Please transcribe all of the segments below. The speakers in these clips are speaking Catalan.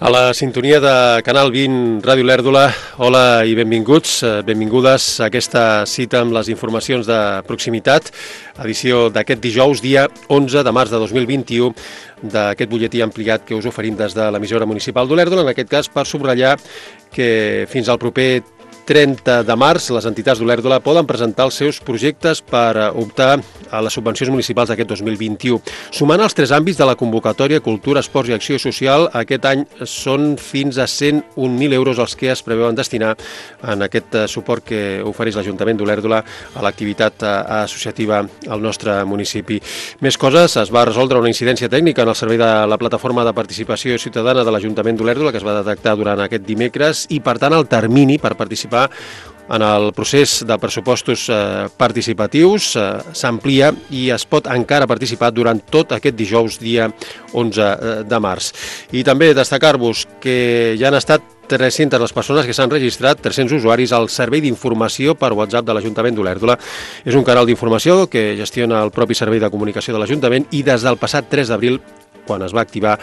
A la sintonia de Canal 20 Ràdio Lèrdula, hola i benvinguts, benvingudes a aquesta cita amb les informacions de proximitat, edició d'aquest dijous, dia 11 de març de 2021, d'aquest butlletí ampliat que us oferim des de l'emissora municipal d'Olèrdola, en aquest cas per subratllar que fins al proper 30 de març les entitats d'Olèrdola poden presentar els seus projectes per optar a les subvencions municipals d'aquest 2021. Sumant els tres àmbits de la convocatòria Cultura, Esports i Acció Social, aquest any són fins a 101.000 euros els que es preveuen destinar en aquest suport que ofereix l'Ajuntament d'Olèrdola a l'activitat associativa al nostre municipi. Més coses, es va resoldre una incidència tècnica en el servei de la plataforma de participació ciutadana de l'Ajuntament d'Olèrdola que es va detectar durant aquest dimecres i, per tant, el termini per participar en el procés de pressupostos participatius s'amplia i es pot encara participar durant tot aquest dijous, dia 11 de març. I també destacar-vos que ja han estat 300 les persones que s'han registrat, 300 usuaris al servei d'informació per WhatsApp de l'Ajuntament d'Olèrdola. És un canal d'informació que gestiona el propi servei de comunicació de l'Ajuntament i des del passat 3 d'abril, quan es va activar,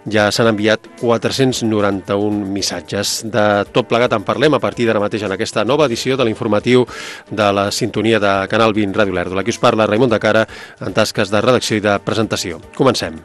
ja s'han enviat 491 missatges. De tot plegat en parlem a partir d'ara mateix en aquesta nova edició de l'informatiu de la sintonia de Canal 20 Ràdio Lèrdula. Aquí us parla Raimon de Cara en tasques de redacció i de presentació. Comencem.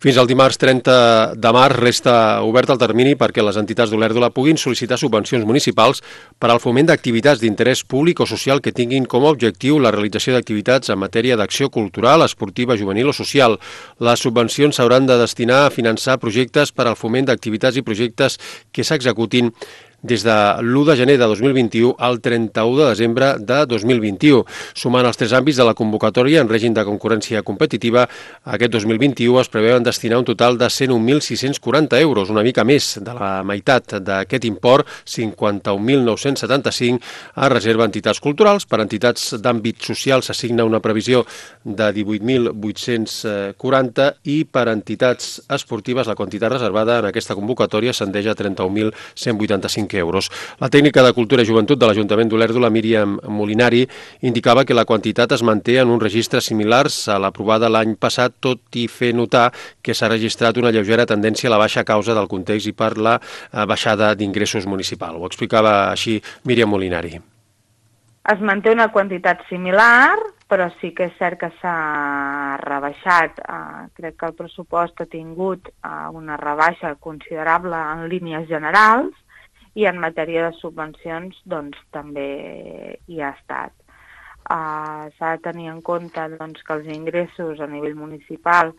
Fins al dimarts 30 de març resta obert el termini perquè les entitats d'Olèrdola puguin sol·licitar subvencions municipals per al foment d'activitats d'interès públic o social que tinguin com a objectiu la realització d'activitats en matèria d'acció cultural, esportiva, juvenil o social. Les subvencions s'hauran de destinar a finançar projectes per al foment d'activitats i projectes que s'executin des de l'1 de gener de 2021 al 31 de desembre de 2021. Sumant els tres àmbits de la convocatòria en règim de concurrència competitiva, aquest 2021 es preveuen destinar un total de 101.640 euros, una mica més de la meitat d'aquest import, 51.975, a reserva a entitats culturals. Per entitats d'àmbit social s'assigna una previsió de 18.840 i per entitats esportives la quantitat reservada en aquesta convocatòria ascendeix a 31.185 euros. La tècnica de Cultura i Joventut de l'Ajuntament d'Olèrdola, Míriam Molinari, indicava que la quantitat es manté en uns registres similars a l'aprovada l'any passat, tot i fer notar que s'ha registrat una lleugera tendència a la baixa a causa del context i per la baixada d'ingressos municipal. Ho explicava així Míriam Molinari. Es manté una quantitat similar, però sí que és cert que s'ha rebaixat. Crec que el pressupost ha tingut una rebaixa considerable en línies generals, i en matèria de subvencions doncs, també hi ha estat. S'ha de tenir en compte doncs, que els ingressos a nivell municipal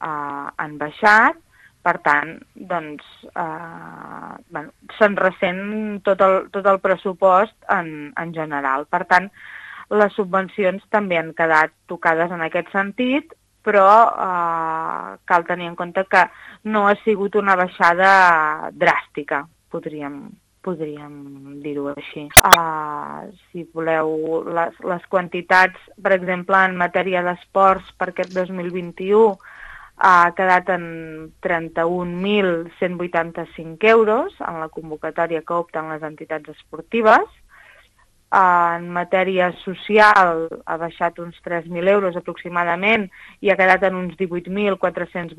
han baixat, per tant, doncs, se'n ressent tot el pressupost en general. Per tant, les subvencions també han quedat tocades en aquest sentit, però cal tenir en compte que no ha sigut una baixada dràstica. Podríem dir-ho així. Si voleu, les quantitats, per exemple, en matèria d'esports per aquest 2021 ha quedat en 31.185 euros en la convocatòria que opten les entitats esportives. En matèria social ha baixat uns 3.000 euros aproximadament i ha quedat en uns 18.480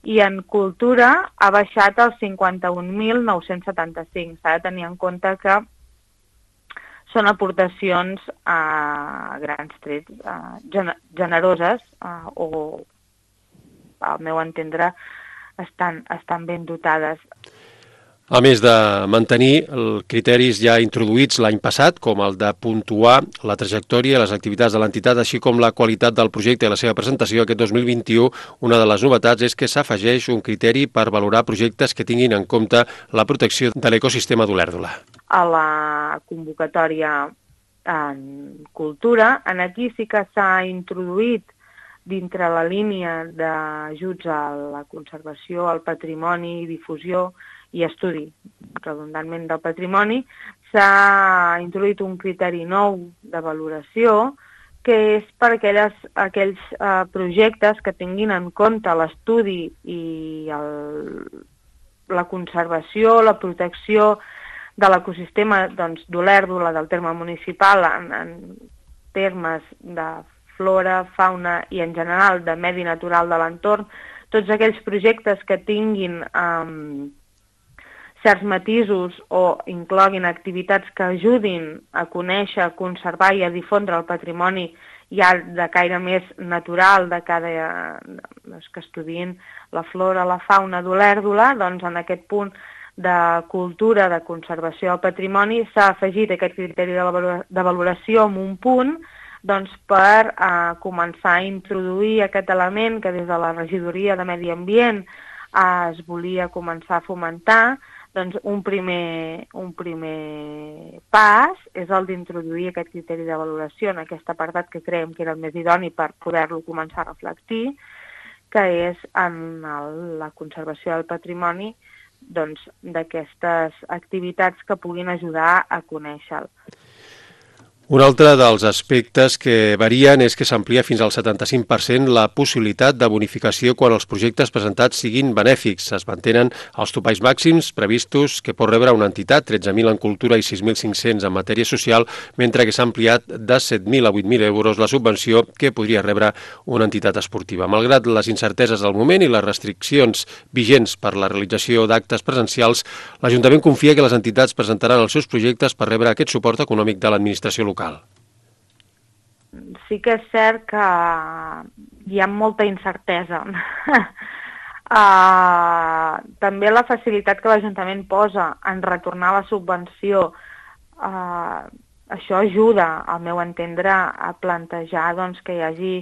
i en cultura ha baixat als 51.975. S'ha de tenir en compte que són aportacions a grans trets generoses o, al meu entendre, estan ben dotades. A més de mantenir criteris ja introduïts l'any passat, com el de puntuar la trajectòria i les activitats de l'entitat, així com la qualitat del projecte i la seva presentació, aquest 2021, una de les novetats és que s'afegeix un criteri per valorar projectes que tinguin en compte la protecció de l'ecosistema d'Olèrdola. A la convocatòria en cultura, aquí sí que s'ha introduït dintre la línia d'ajuts a la conservació, al patrimoni, difusió i estudi, redundantment, del patrimoni, s'ha introduït un criteri nou de valoració que és per aquells projectes que tinguin en compte l'estudi i la conservació, la protecció de l'ecosistema d'Olèrdola, del terme municipal, en termes de flora, fauna i en general de medi natural de l'entorn, tots aquells projectes que tinguin certs matisos o incloguin activitats que ajudin a conèixer, a conservar i a difondre el patrimoni ja de caire més natural, que estudien la flora, la fauna d'Olèrdola, doncs en aquest punt de cultura, de conservació del patrimoni, s'ha afegit aquest criteri de valoració en un punt per començar a introduir aquest element que des de la regidoria de Medi Ambient es volia començar a fomentar. Doncs un primer pas és el d'introduir aquest criteri de valoració en aquest apartat que creiem que era el més idoni per poder-lo començar a reflectir, que és en la conservació del patrimoni d'aquestes activitats que puguin ajudar a conèixer-lo. Un altre dels aspectes que varien és que s'amplia fins al 75% la possibilitat de bonificació quan els projectes presentats siguin benèfics. Es mantenen els topalls màxims previstos que pot rebre una entitat, 13.000 en cultura i 6.500 en matèria social, mentre que s'ha ampliat de 7.000 a 8.000 euros la subvenció que podria rebre una entitat esportiva. Malgrat les incerteses del moment i les restriccions vigents per la realització d'actes presencials, l'Ajuntament confia que les entitats presentaran els seus projectes per rebre aquest suport econòmic de l'administració local. Sí que és cert que hi ha molta incertesa. També la facilitat que l'Ajuntament posa en retornar la subvenció, això ajuda, al meu entendre, a plantejar que hi hagi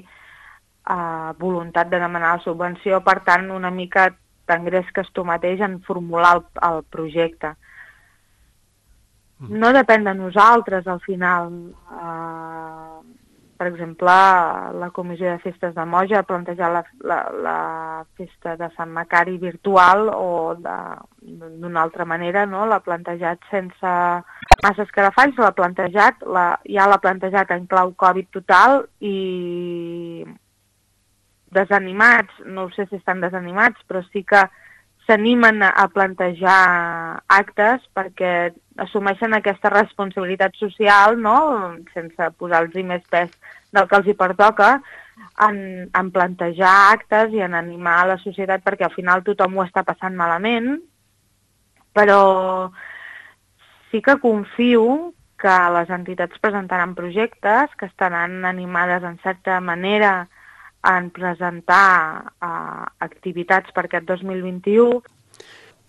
voluntat de demanar la subvenció, per tant, una mica t'engresques tu mateix en formular el projecte. No depèn de nosaltres, al final. Per exemple, la Comissió de Festes de Moja ha plantejat la festa de Sant Macari virtual o d'una altra manera, no? L'ha plantejat sense massa escarafalls, ja l'ha plantejat en clau Covid total i desanimats, no sé si estan desanimats, però sí que s'animen a plantejar actes perquè assumeixen aquesta responsabilitat social, no? Sense posar-los més pes del que els hi pertoca, en plantejar actes i en animar la societat, perquè al final tothom ho està passant malament, però sí que confio que les entitats presentaran projectes que estaran animades en certa manera en presentar activitats per aquest 2021.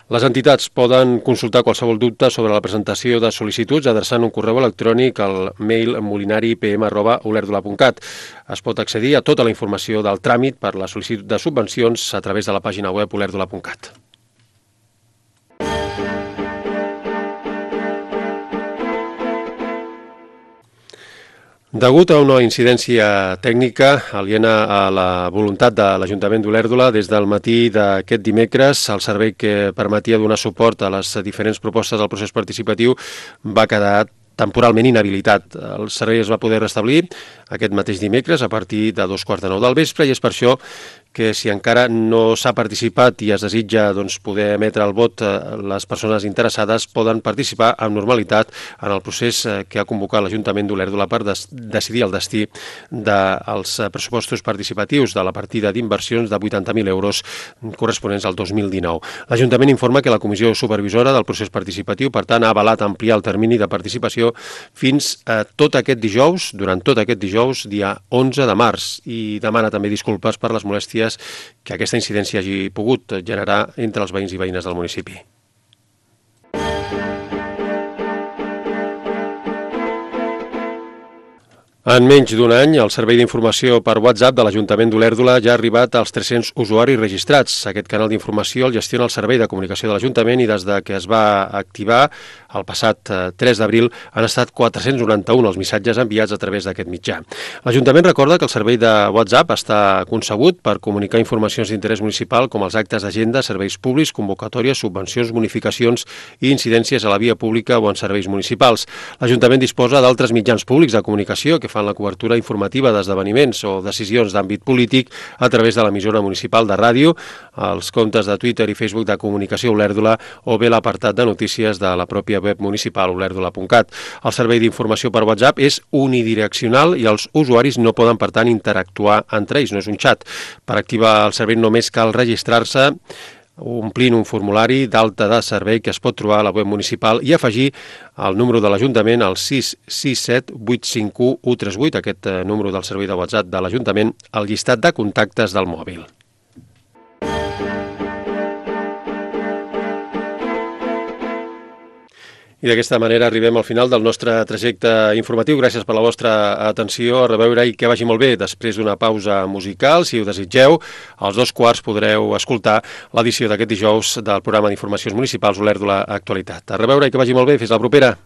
Les entitats poden consultar qualsevol dubte sobre la presentació de sol·licituds adreçant un correu electrònic al mail molinari.pm@olèrdola.cat. Es pot accedir a tota la informació del tràmit per la sol·licitud de subvencions a través de la pàgina web olèrdola.cat. Degut a una incidència tècnica aliena a la voluntat de l'Ajuntament d'Olèrdola, des del matí d'aquest dimecres, el servei que permetia donar suport a les diferents propostes del procés participatiu va quedar temporalment inhabilitat. El servei es va poder restablir aquest mateix dimecres a partir de 2:15 del vespre i és per això que si encara no s'ha participat i es desitja poder emetre el vot, les persones interessades poden participar amb normalitat en el procés que ha convocat l'Ajuntament d'Olèrdola per decidir el destí dels pressupostos participatius de la partida d'inversions de 80.000 euros corresponents al 2019. L'Ajuntament informa que la Comissió Supervisora del procés participatiu, per tant, ha avalat ampliar el termini de participació fins a tot aquest dijous, durant tot aquest dijous, dia 11 de març, i demana també disculpes per les molèsties que aquesta incidència hagi pogut generar entre els veïns i veïnes del municipi. En menys d'un any, el servei d'informació per WhatsApp de l'Ajuntament d'Olèrdola ja ha arribat als 300 usuaris registrats. Aquest canal d'informació el gestiona el Servei de Comunicació de l'Ajuntament i des de que es va activar el passat 3 d'abril han estat 491 els missatges enviats a través d'aquest mitjà. L'Ajuntament recorda que el servei de WhatsApp està concebut per comunicar informacions d'interès municipal com els actes d'agenda, serveis públics, convocatòries, subvencions, bonificacions i incidències a la via pública o en serveis municipals. L'Ajuntament disposa d'altres mitjans públics de comunicació que fan la cobertura informativa d'esdeveniments o decisions d'àmbit polític a través de l'emissora municipal de ràdio, els comptes de Twitter i Facebook de Comunicació Olèrdola o bé l'apartat de notícies de la pròpia web municipal olèrdola.cat. El servei d'informació per WhatsApp és unidireccional i els usuaris no poden, per tant, interactuar entre ells, no és un xat. Per activar el servei només cal registrar-se omplint un formulari d'alta de servei que es pot trobar a la web municipal i afegir el número de l'Ajuntament al 667 851 138, aquest número del servei de WhatsApp de l'Ajuntament, al llistat de contactes del mòbil. I d'aquesta manera arribem al final del nostre trajecte informatiu. Gràcies per la vostra atenció. A reveure i que vagi molt bé. Després d'una pausa musical, si ho desitgeu, als 2:15 podreu escoltar l'edició d'aquest dijous del programa d'informacions municipals Olèrdola Actualitat. A reveure i que vagi molt bé. Fins la propera.